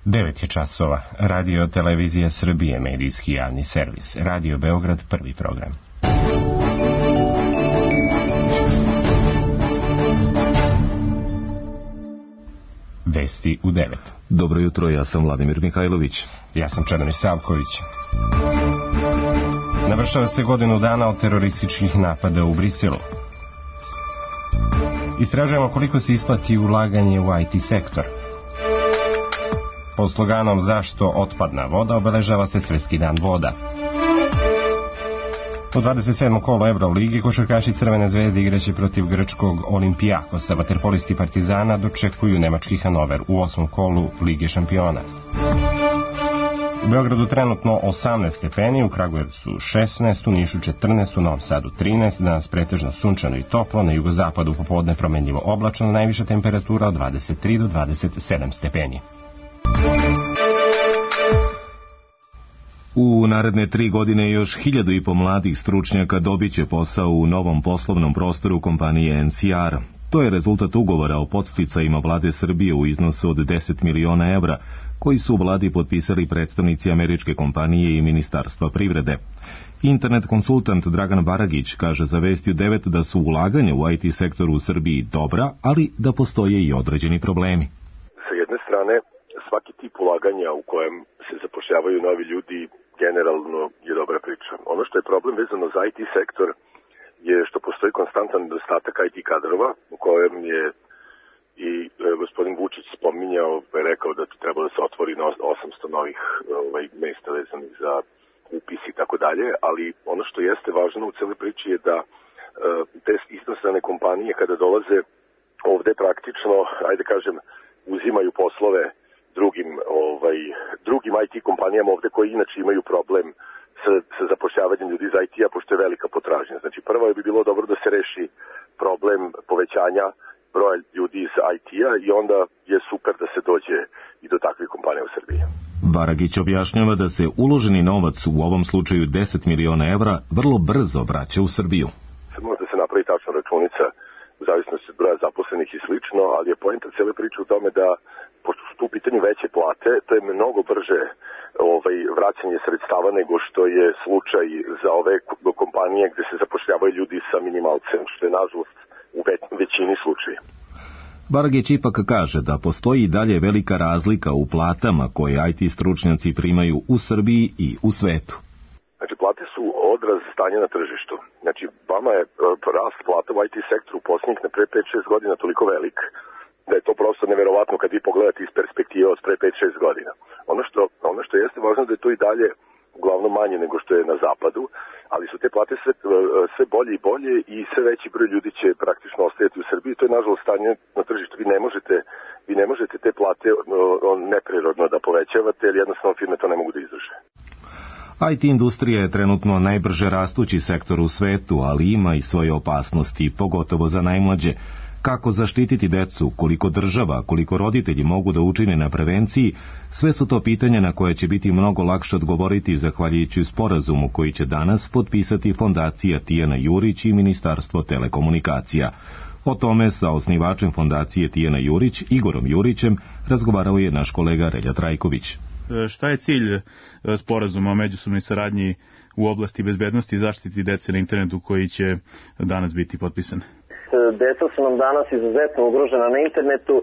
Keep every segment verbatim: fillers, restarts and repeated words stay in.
devet je časova. Radio Televizija Srbije, medijski javni servis. Radio Beograd, prvi program. Vesti u devet. Dobro jutro, ja sam Vladimir Mihajlović. Ja sam Čedomir Savković. Navršava se godinu dana od terorističkih napada u Briselu. Istražujemo koliko se isplati ulaganje u I T sektor. Pod sloganom Zašto otpadna voda obeležava se Svetski dan voda. U dvadeset sedmom kolu Evroligi košarkaši Crvene zvezde igraće protiv grčkog Olimpijakosa. Vaterpolisti Partizana dočekuju nemački Hanover u osmom kolu Lige šampiona. U Beogradu trenutno osamnaest stepeni, u Kragujevcu šesnaest, u Nišu četrnaest, u Novom Sadu trinaest, danas pretežno sunčano i toplo, na jugozapadu popodne promenljivo oblačno, najviša temperatura od dvadeset tri do dvadeset sedam stepeni. U naredne tri godine još hiljadu i po mladih stručnjaka dobit će posao u novom poslovnom prostoru kompanije N C R. To je rezultat ugovora o podsticajima vlade Srbije u iznosu od deset miliona evra, koji su u vladi potpisali predstavnici američke kompanije i Ministarstva privrede. Internet konsultant Dragan Baragić kaže za Vesti u devet da su ulaganja u I T sektoru u Srbiji dobra, ali da postoje i određeni problemi. Sa jedne strane, svaki tip ulaganja u kojem se zapošljavaju novi ljudi generalno je dobra priča. Ono što je problem vezano za I T sektor je što postoji konstantan nedostatak I T kadrova, u kojem je i e, gospodin Vučić spominjao, je rekao da treba da se otvori no, osamsto novih ovaj, mesta vezanih za upis i tako dalje, ali ono što jeste važno u celoj priči je da e, te inostrane kompanije kada dolaze ovde praktično, ajde kažem, uzimaju poslove drugim, ovaj, drugim I T kompanijama ovde koji inače imaju problem sa, sa zapošljavanjem ljudi iz I T-a, pošto je velika potražnja. Znači, prvo bi bilo dobro da se reši problem povećanja broja ljudi iz I T-a i onda je super da se dođe i do takvih kompanija u Srbiji. Baragić objašnjava da se uloženi novac, u ovom slučaju deset miliona evra, vrlo brzo vraća u Srbiju. Može da se napravi tačna računica u zavisnosti od broja zaposlenih i slično, ali je poenta cijele priče u tome da pošto su tu u pitanju veće plate, to je mnogo brže ovaj, vraćanje sredstava nego što je slučaj za ove kompanije gde se zapošljavaju ljudi sa minimalcem, što je nažalost u većini slučaja. Baragić ipak kaže da postoji i dalje velika razlika u platama koje I T stručnjaci primaju u Srbiji i u svetu. Znači, plate su odraz stanja na tržištu. Znači, vama je rast plata u I T sektoru u posljednjih na pre pet šest godina toliko velik, da je to prosto neverovatno kad vi pogledate iz perspektive od pre pet šest godina. Ono što, ono što jeste važno da je to i dalje uglavnom manje nego što je na zapadu, ali su te plate sve, sve bolje i bolje i sve veći broj ljudi će praktično ostajati u Srbiji. To je nažalost stanje na tržištu. Vi ne možete, vi ne možete te plate neprirodno da povećavate, jer jednostavno firme to ne mogu da izdrže. I T industrija je trenutno najbrže rastući sektor u svetu, ali ima i svoje opasnosti, pogotovo za najmlađe. Kako zaštititi decu, koliko država, koliko roditelji mogu da učine na prevenciji, sve su to pitanja na koje će biti mnogo lakše odgovoriti zahvaljujući sporazumu koji će danas potpisati fondacija Tijana Jurić i Ministarstvo telekomunikacija. O tome sa osnivačem fondacije Tijana Jurić, Igorom Jurićem, razgovarao je naš kolega Relja Trajković. Šta je cilj sporazuma o međusobnoj saradnji u oblasti bezbednosti i zaštiti dece na internetu koji će danas biti potpisan? Deca su nam danas izuzetno ugrožena na internetu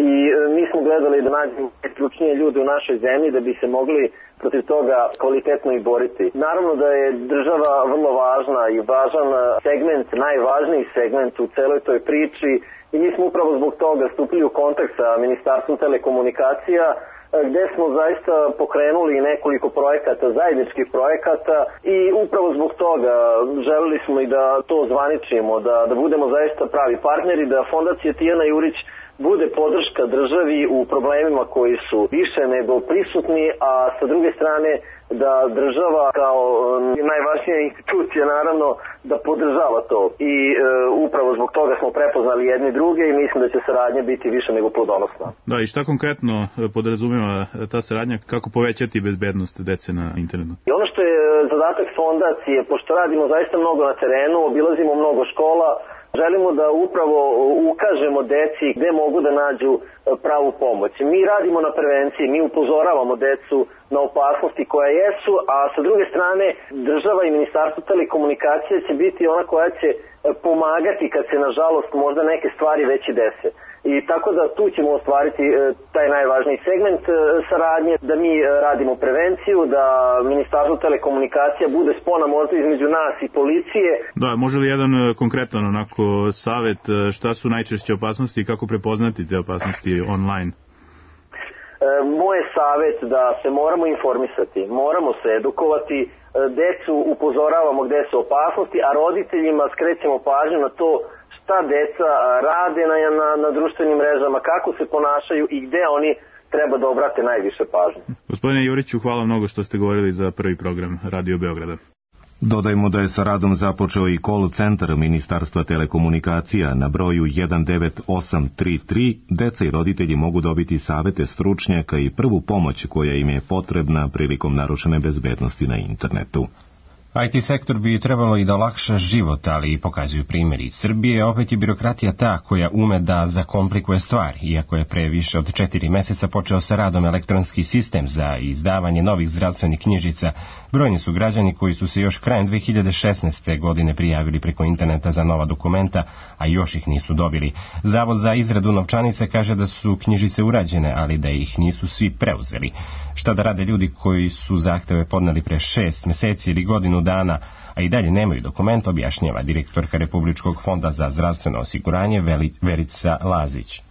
i mi smo gledali da nađemo stručnije ljude u našoj zemlji da bi se mogli protiv toga kvalitetno i boriti. Naravno da je država vrlo važna i važan segment, najvažniji segment u celoj toj priči i mi smo upravo zbog toga stupili u kontakt sa Ministarstvom telekomunikacija, gde smo zaista pokrenuli nekoliko projekata, zajedničkih projekata i upravo zbog toga želeli smo i da to zvaničimo, da, da budemo zaista pravi partneri, da fondacija Tijana Jurić bude podrška državi u problemima koji su više nego prisutni, a sa druge strane da država kao najvažnija institucija naravno da podržava to i e, upravo zbog toga smo prepoznali jedni druge i mislim da će saradnja biti više nego plodonosna. Da, i šta konkretno podrazumeva ta saradnja, kako povećati bezbednost dece na internetu? I ono što je zadatak fondacije, pošto radimo zaista mnogo na terenu, obilazimo mnogo škola, Želimo da upravo ukažemo deci gde mogu da nađu pravu pomoć. Mi radimo na prevenciji, mi upozoravamo decu na opasnosti koja jesu, a sa druge strane država i Ministarstvo telekomunikacije će biti ona koja će pomagati kad se nažalost možda neke stvari već i dese. I tako da tu ćemo ostvariti taj najvažniji segment saradnje, da mi radimo prevenciju, da Ministarstvo telekomunikacija bude spona možda između nas i policije. Da, može li jedan konkretan onako savet, šta su najčešće opasnosti i kako prepoznati te opasnosti online? Moj je savet da se moramo informisati, moramo se edukovati, decu upozoravamo gde su opasnosti, a roditeljima skrećemo pažnju na to šta deca rade na, na, na društvenim mrežama, kako se ponašaju i gde oni treba da obrate najviše pažnje. Gospodine Juriću, hvala mnogo što ste govorili za prvi program Radio Beograda. Dodajmo da je sa radom započeo i call centar Ministarstva telekomunikacija na broju jedan devet osam tri tri. Deca i roditelji mogu dobiti savete stručnjaka i prvu pomoć koja im je potrebna prilikom narušene bezbednosti na internetu. I T sektor bi trebalo i da olakša život, ali i pokazuju primjeri iz Srbije. Opet je birokratija ta koja ume da zakomplikuje stvar, iako je pre više od četiri meseca počeo sa radom elektronski sistem za izdavanje novih zdravstvenih knjižica. Brojni su građani koji su se još krajem dve hiljade šesnaeste. godine prijavili preko interneta za nova dokumenta, a još ih nisu dobili. Zavod za izradu novčanice kaže da su knjižice urađene, ali da ih nisu svi preuzeli. Šta da rade ljudi koji su zahteve podneli pre šest meseci ili godinu dana, a i dalje nemaju dokument, objašnjava direktorka Republičkog fonda za zdravstveno osiguranje Verica Lazić.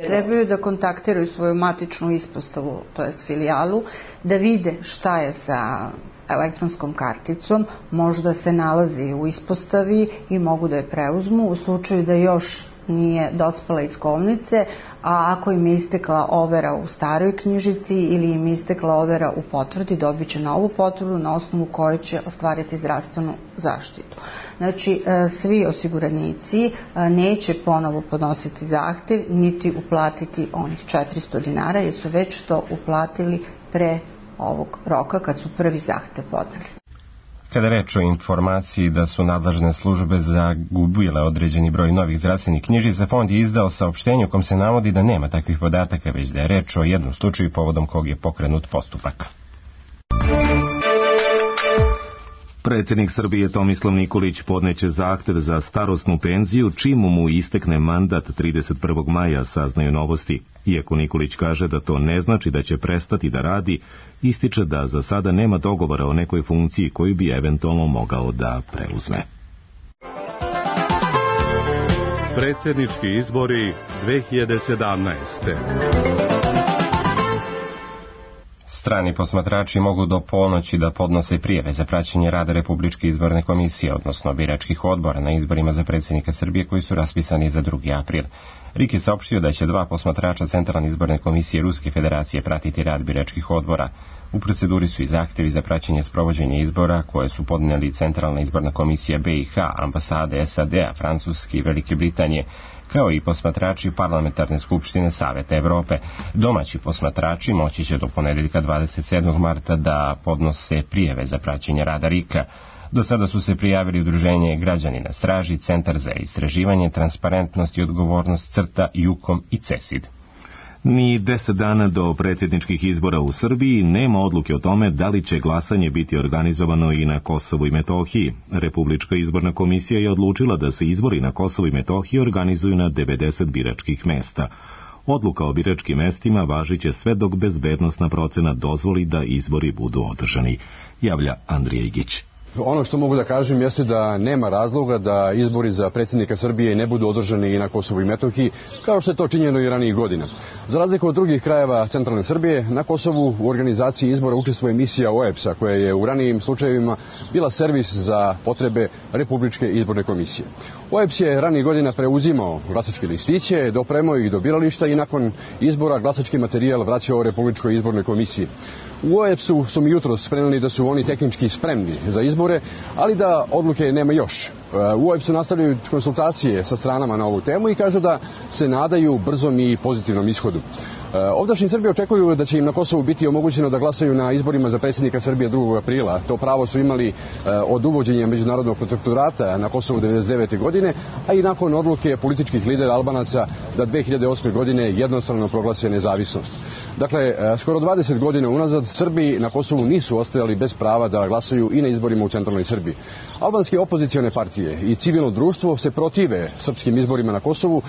Trebaju da kontaktiraju svoju matičnu ispostavu, to jest filijalu, da vide šta je sa elektronskom karticom, možda se nalazi u ispostavi i mogu da je preuzmu u slučaju da još nije dospela iz kovnice, a ako im je istekla overa u staroj knjižici ili im je istekla overa u potvrdi, dobit će novu potvrdu na osnovu koje će ostvariti zdravstvenu zaštitu. Znači, svi osiguranici neće ponovo podnositi zahtev, niti uplatiti onih četiristo dinara, jer su već to uplatili pre ovog roka kad su prvi zahtev podneli. Kada reč o informaciji da su nadležne službe zagubile određeni broj novih zdravstvenih knjižica, fond je izdao saopštenje u kom se navodi da nema takvih podataka, već da je reč o jednom slučaju povodom kog je pokrenut postupak. Predsjednik Srbije Tomislav Nikolić podneće zahtev za starosnu penziju čim mu istekne mandat trideset prvog maja, saznaju Novosti. Iako Nikolić kaže da to ne znači da će prestati da radi, ističe da za sada nema dogovora o nekoj funkciji koju bi eventualno mogao da preuzme. Predsjednički izbori dve hiljade sedamnaeste. Strani posmatrači mogu do ponoći da podnose prijave za praćenje rada Republičke izborne komisije, odnosno biračkih odbora na izborima za predsjednika Srbije koji su raspisani za drugi april. R I K je saopštio da će dva posmatrača Centralne izborne komisije Ruske federacije pratiti rad biračkih odbora. U proceduri su i zahtevi za praćenje sprovođenja izbora koje su podnijeli Centralna izborna komisija B i H, ambasade S A D-a, Francuske i Velike Britanije, kao i posmatrači Parlamentarne skupštine Saveta Evrope. Domaći posmatrači moći će do ponedeljka dvadeset sedmog marta da podnose prijeve za praćenje rada R I K-a. Do sada su se prijavili Udruženje Građani na straži, Centar za istraživanje, transparentnost i odgovornost CRTA, Jukom i CESID. Ni deset dana do predsjedničkih izbora u Srbiji nema odluke o tome da li će glasanje biti organizovano i na Kosovu i Metohiji. Republička izborna komisija je odlučila da se izbori na Kosovu i Metohiji organizuju na devedeset biračkih mesta. Odluka o biračkim mestima važiće sve dok bezbednosna procena dozvoli da izbori budu održani, javlja Andrija Igić. Ono što mogu da kažem jeste da nema razloga da izbori za predsjednika Srbije ne budu održani i na Kosovu i Metohiji, kao što je to činjeno i ranijih godina. Za razliku od drugih krajeva centralne Srbije, na Kosovu u organizaciji izbora učestvuje misija O E B S-a, koja je u ranijim slučajevima bila servis za potrebe Republičke izborne komisije. O E B S je ranijih godina preuzimao glasačke listiće, dopremao ih do birališta i nakon izbora glasački materijal vraćao Republičkoj izbornoj komisiji. U O E B S-u su mi jutros preneli da su oni tehnički spremni za izbore, ali da odluke nema još. U O E B S-u nastavljaju konsultacije sa stranama na ovu temu i kažu da se nadaju brzom i pozitivnom ishodu. Ovdašnji Srbi očekuju da će im na Kosovu biti omogućeno da glasaju na izborima za predsjednika Srbije drugog aprila. To pravo su imali od uvođenja međunarodnog protektorata na Kosovu devedeset devete. godine, a i nakon odluke političkih lidera Albanaca da dve hiljade osme. godine jednostrano proglase nezavisnost. Dakle, skoro dvadeset godina unazad Srbi na Kosovu nisu ostajali bez prava da glasaju i na izborima u centralnoj Srbiji. Albanske opozicione partije i civilno društvo se protive srpskim izborima na Kosovu.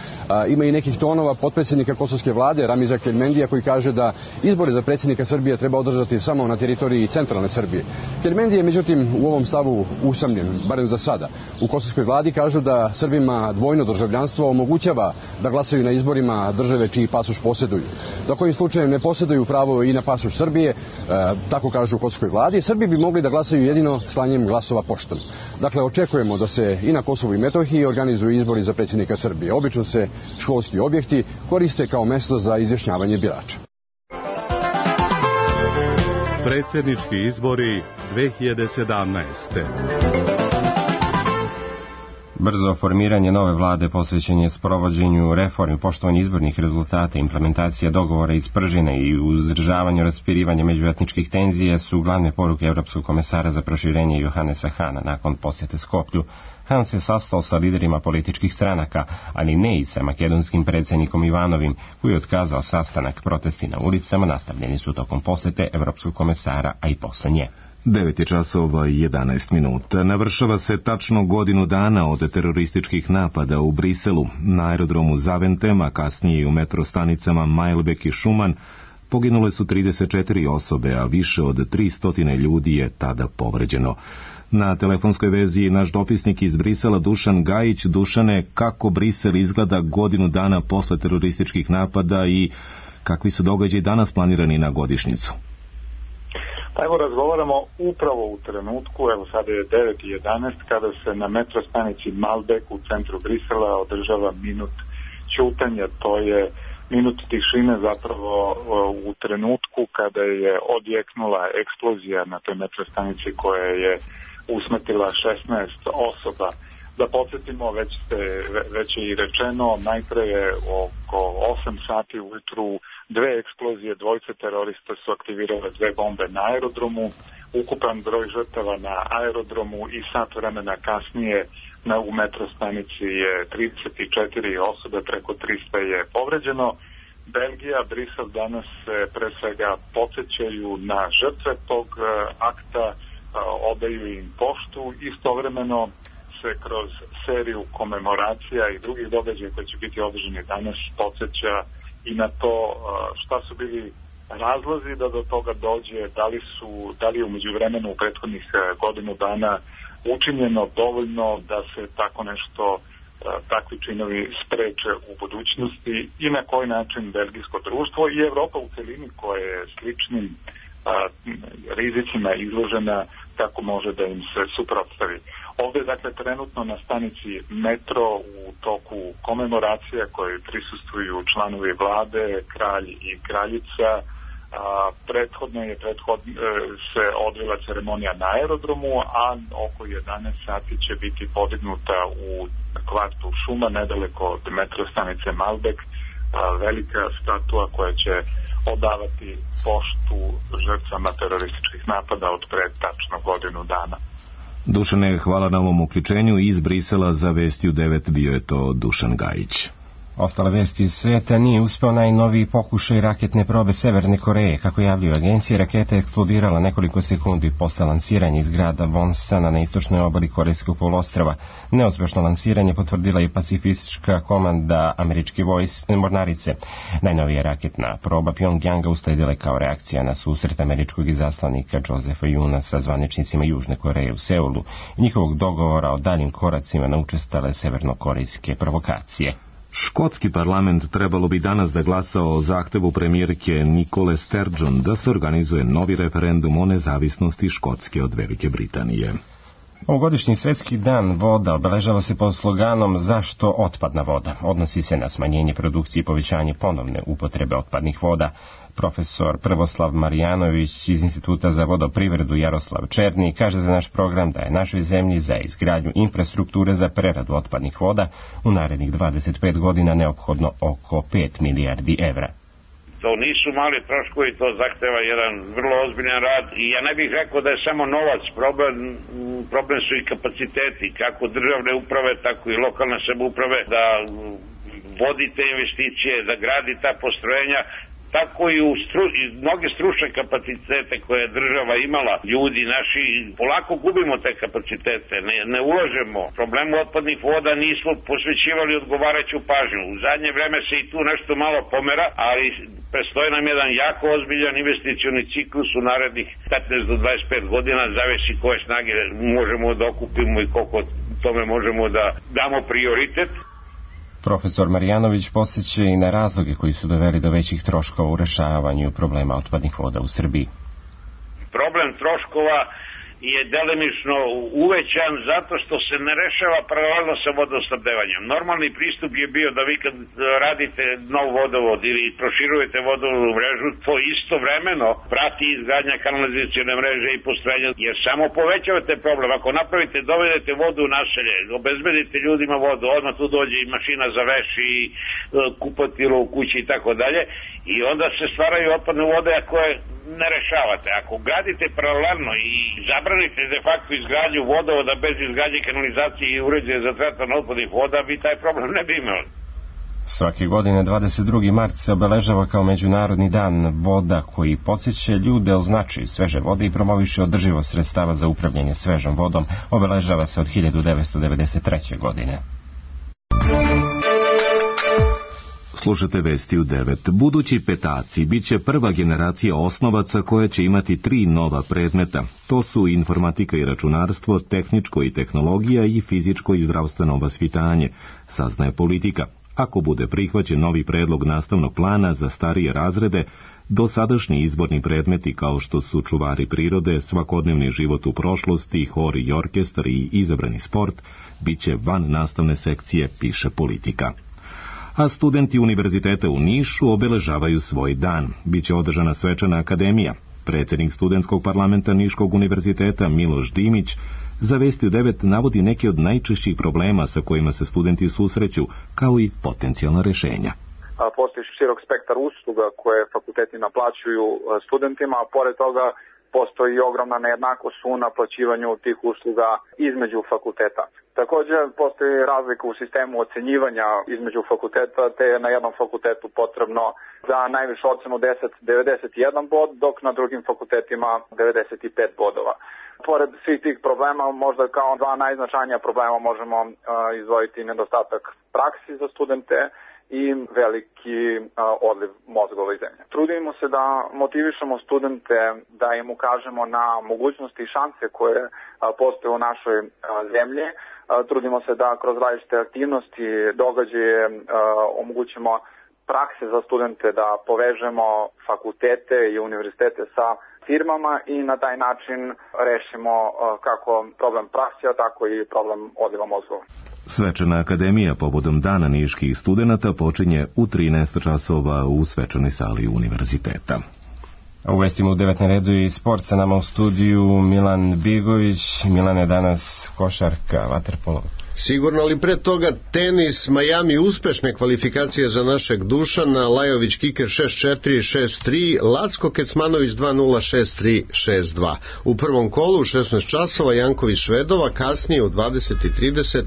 Ima i nekih tonova potpredsjednika kosovske vlade Ramiza Keljmendija koji kaže da izbore za predsjednika Srbije treba održati samo na teritoriji centralne Srbije. Keljmendi je međutim u ovom stavu usamljen, barem za sada. U kosovskoj vladi kažu da Srbima dvojno državljanstvo omogućava da glasaju na izborima države čiji pasoš posjeduju. Da kojim slučajem ne posjeduju pravo i na pasoš Srbije, e, tako kažu u kosovskoj vladi, Srbi bi mogli da glasaju jedino slanjem glasova poštom. Dakle, očekujemo da se i na Kosovu i Metohiji organizuju izbori za predsjednika Srbije. Obično se školski objekti koriste kao mesto za izjašnjavanje birača. Predsjednički izbori dve hiljade sedamnaeste. Brzo formiranje nove vlade posvećen je sprovođenju reformi, poštovanju izbornih rezultata, implementacija dogovora iz Pržine i uzdržavanju raspirivanja međuetničkih tenzija su glavne poruke Evropskog komesara za proširenje Johannesa Hana nakon posjete Skoplju. Han se sastao sa liderima političkih stranaka, ali ne i sa makedonskim predsjednikom Ivanovim, koji je otkazao sastanak. Protesti na ulicama nastavljeni su tokom posjete Evropskog komesara, a i posle nje. devet je časova i jedanaest minuta. Navršava se tačno godinu dana od terorističkih napada u Briselu. Na aerodromu Zaventem, a kasnije i u metrostanicama Majlbek i Šuman, poginule su trideset četiri osobe, a više od tristo ljudi je tada povređeno. Na telefonskoj vezi naš dopisnik iz Brisela Dušan Gajić. Dušane, kako Brisel izgleda godinu dana posle terorističkih napada i kakvi su događaji danas planirani na godišnjicu? Pa evo razgovaramo upravo u trenutku, evo sada je devet i jedanaest, kada se na metrostanici Malbek u centru Brisela održava minut ćutanja. To je minut tišine zapravo u trenutku kada je odjeknula eksplozija na toj metrostanici koja je usmrtila šesnaest osoba. Da podsjetimo, već, ste, već je i rečeno, najpre je oko osam sati ujutru dve eksplozije, dvojice terorista su aktivirale dve bombe na aerodromu, ukupan broj žrtava na aerodromu i sat vremena kasnije na, u metrostanici je trideset četiri osobe, preko trista je povređeno. Belgija, Brisel danas se pre svega podsjećaju na žrtve tog akta, odaju im poštu, istovremeno se kroz seriju komemoracija i drugih događaja koji će biti održani danas podsjeća i na to šta su bili razlozi da do toga dođe, da li su, da li je u međuvremenu u prethodnih godinu dana učinjeno dovoljno da se tako nešto, takvi činovi spreče u budućnosti i na koji način belgijsko društvo i Evropa u celini koja je sličnim a, rizicima izložena, kako može da im se suprotstavi. Ovdje je dakle trenutno na stanici metro u toku komemoracija koje prisustuju članovi vlade, kralj i kraljica. A, prethodno je prethod, e, se odvila ceremonija na aerodromu, a oko jedanaest sati će biti podignuta u kvartu Šuma, nedaleko od metro stanice Malbek, a, velika statua koja će odavati poštu žrtvama terorističkih napada od pre tačno godinu dana. Dušane, hvala na ovom uključenju. Iz Brisela za Vesti u devet bio je to Dušan Gajić. Ostale vesti iz sveta: nije uspeo najnoviji pokušaj raketne probe Severne Koreje. Kako javljaju agencije, raketa je eksplodirala nekoliko sekundi posle lansiranja iz grada Wonsana na istočnoj obali Korejskog poluostrva. Neuspešno lansiranje potvrdila i pacifistička komanda američke vojske mornarice. Najnovija raketna proba Pjongjanga usledila kao reakcija na susret američkog izaslanika Josefa Juna sa zvaničnicima Južne Koreje u Seulu i njihovog dogovora o daljim koracima na učestale severnokorejske provokacije. Škotski parlament trebalo bi danas da glasa o zahtevu premijerke Nikole Sturgeon da se organizuje novi referendum o nezavisnosti Škotske od Velike Britanije. Ovogodišnji svetski dan voda obeležava se pod sloganom Zašto otpadna voda? Odnosi se na smanjenje produkcije i povećanje ponovne upotrebe otpadnih voda. Profesor Prvoslav Marjanović iz Instituta za vodoprivredu Jaroslav Černi kaže za naš program da je našoj zemlji za izgradnju infrastrukture za preradu otpadnih voda u narednih dvadeset pet godina neophodno oko pet milijardi evra. To nisu mali troškovi, to zahteva jedan vrlo ozbiljan rad i ja ne bih rekao da je samo novac problem, problem su i kapaciteti, kako državne uprave, tako i lokalne samouprave da vodi te investicije, da gradi ta postrojenja, tako i u stru, i mnoge stručne kapacitete koje je država imala, ljudi naši, polako gubimo te kapacitete, ne, ne ulažemo. Problemu otpadnih voda nismo posvećivali odgovarajuću pažnju. U zadnje vreme se i tu nešto malo pomera, ali prestoji nam jedan jako ozbiljan investicioni ciklus u narednih petnaest do dvadeset pet godina, zavisi koje snage možemo da okupimo i koliko tome možemo da damo prioritet. Profesor Marjanović posjeća i na razloge koji su doveli do većih troškova u rešavanju problema otpadnih voda u Srbiji. Problem troškova je delimično uvećan zato što se ne rešava paralelno sa vodosnabdevanjem. Normalni pristup je bio da vi kad radite nov vodovod ili proširujete vodovodnu mrežu, to istovremeno prati izgradnja kanalizacione mreže i postrojenja, jer samo povećavate problem. Ako napravite, dovedete vodu u naselje, obezbedite ljudima vodu, odmah tu dođe i mašina za veš i kupatilo u kući i tako dalje, i onda se stvaraju otpadne vode koje ne rešavate. Ako gradite paralelno i zabranite de facto izgradnju vodovoda bez izgradnje kanalizacije i uređaja za tretman otpadnih voda, vi taj problem ne bi imali. Svake godine dvadeset drugi mart se obeležava kao Međunarodni dan voda koji podsjeća ljude o značaju sveže vode i promoviše održivost sredstava za upravljanje svežom vodom. Obeležava se od hiljadu devetsto devedeset treće. godine. Slušate vesti u devet. Budući petaci bit će prva generacija osnovaca koja će imati tri nova predmeta. To su informatika i računarstvo, tehničko i tehnologija i fizičko i zdravstveno vaspitanje, saznaje Politika. Ako bude prihvaćen novi predlog nastavnog plana za starije razrede, dosadašnji izborni predmeti kao što su čuvari prirode, svakodnevni život u prošlosti, hor i orkestar i izabrani sport, bit će van nastavne sekcije, piše Politika. A studenti Univerziteta u Nišu obeležavaju svoj dan. Biće održana svečana akademija. Predsjednik studentskog parlamenta Niškog univerziteta Miloš Dimić za Vesti u devet navodi neke od najčešćih problema sa kojima se studenti susreću, kao i potencijalna rješenja. Postoji širok spektar usluga koje fakulteti naplaćuju studentima, a pored toga postoji i ogromna nejednakost u naplaćivanju tih usluga između fakulteta. Također postoji razlika u sistemu ocenjivanja između fakulteta, te je na jednom fakultetu potrebno za najvišu ocenu deset, devedeset jedan bod, dok na drugim fakultetima devedeset pet bodova. Pored svih tih problema, možda kao dva najznačajnija problema možemo uh, izdvojiti nedostatak praksi za studente i veliki uh, odliv mozgova iz zemlje. Trudimo se da motivišemo studente, da im ukažemo na mogućnosti i šanse koje uh, postoje u našoj uh, zemlji. Uh, trudimo se da kroz različite aktivnosti, događaje uh, omogućimo prakse za studente, da povežemo fakultete i univerzitete sa firmama i na taj način rešimo uh, kako problem praksija, tako i problem odliva mozgova. Svečana akademija povodom Dana niških studenata počinje u trinaest časova u svečanoj sali univerziteta. U vestima u devet na redu i sport, sa nama u studiju Milan Bigović. Milan, je danas košarka, vaterpolo. Sigurno, ali pre toga tenis, Miami uspešne kvalifikacije za našeg Dušana, Lajović kiker šest četiri šest tri, Lacko Kecmanović dva nula šest tri šest dva. U prvom kolu u šesnaest časova Janković Švedova, kasnije u dvadeset trideset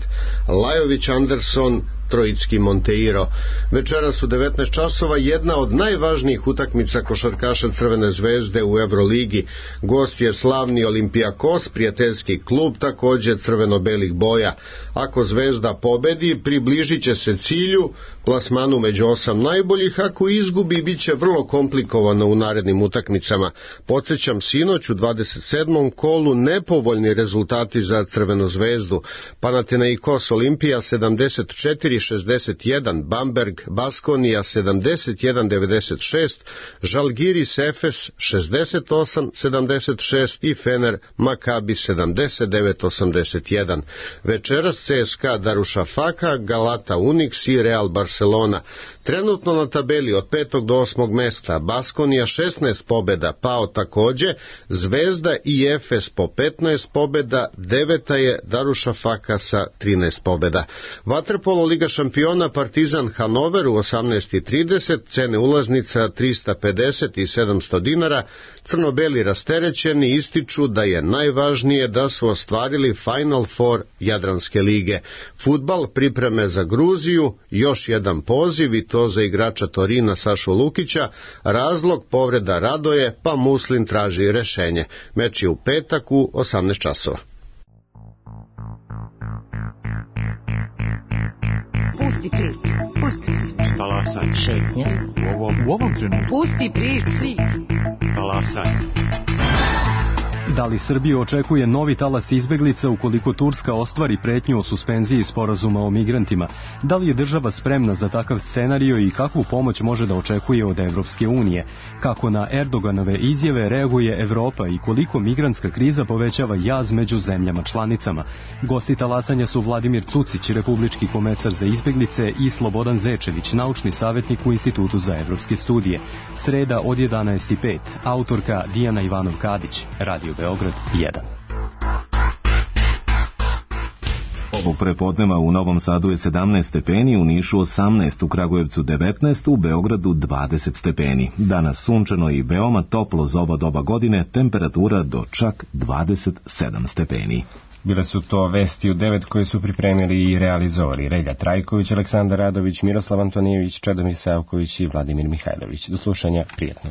Lajović Anderson Trojicki Monteiro. Večeras u devetnaest časova jedna od najvažnijih utakmica košarkaša Crvene zvezde u Evroligi. Gost je slavni Olimpijakos, prijateljski klub, također crveno-belih boja. Ako Zvezda pobedi, približit će se cilju, plasmanu među osam najboljih. Ako izgubi, bit će vrlo komplikovano u narednim utakmicama. Podsjećam, sinoć u dvadeset sedmom kolu nepovoljni rezultati za Crvenu zvezdu. Panathinaikos Olimpija sedamdeset četiri šezdeset jedan, Bamberg Baskonija sedamdeset jedan devedeset šest, Žalgiris Efes šezdeset osam sedamdeset šest i Fener Makabi sedamdeset devet osamdeset jedan. Večeras C S K A Darušafaka, Galata Unix i Real Barcelona. Trenutno na tabeli od petog do osmog mesta Baskonija šesnaest pobeda, pao takođe, Zvezda i Efes po petnaest pobeda, deveta je Darušafaka sa trinaest pobeda. Vaterpolo Liga šampiona Partizan Hanover u osamnaest i trideset, cene ulaznica trista pedeset i sedamsto dinara, crno-beli rasterećeni ističu da je najvažnije da su ostvarili Final Four Jadranske lige. Fudbal, pripreme za Gruziju, još jedan poziv i to za igrača Torina Sašu Lukića, razlog povreda Radoje, pa Muslin traži rešenje. Meč je u petak u osamnaest časova. Pusti priču, pusti priču. Talasaj. Šetnja. U ovom, u ovom trenutku. Pusti priču. Talasaj. Da li Srbiju očekuje novi talas izbeglica ukoliko Turska ostvari pretnju o suspenziji sporazuma o migrantima? Da li je država spremna za takav scenario i kakvu pomoć može da očekuje od Evropske unije? Kako na Erdoganove izjave reaguje Evropa i koliko migrantska kriza povećava jaz među zemljama članicama? Gosti talasanja su Vladimir Cucić, republički komesar za izbeglice, i Slobodan Zečević, naučni savjetnik u Institutu za evropske studije. Sreda od jedanaest i pet. Autorka Dijana Ivanov-Kadić. Radio Beograd jedan. Ovog prepodneva u Novom Sadu je sedamnaest stepeni, u Nišu osamnaest, u Kragujevcu devetnaest, u Beogradu dvadeset stepeni. Danas sunčano i veoma toplo za ova doba godine, temperatura do čak dvadeset sedam stepeni. Bile su to vesti u devet koje su pripremili i realizovali Relja Trajković, Aleksandar Radović, Miroslav Antonijević, Čedomir Savković i Vladimir Mihajlović. Do slušanja, prijatno.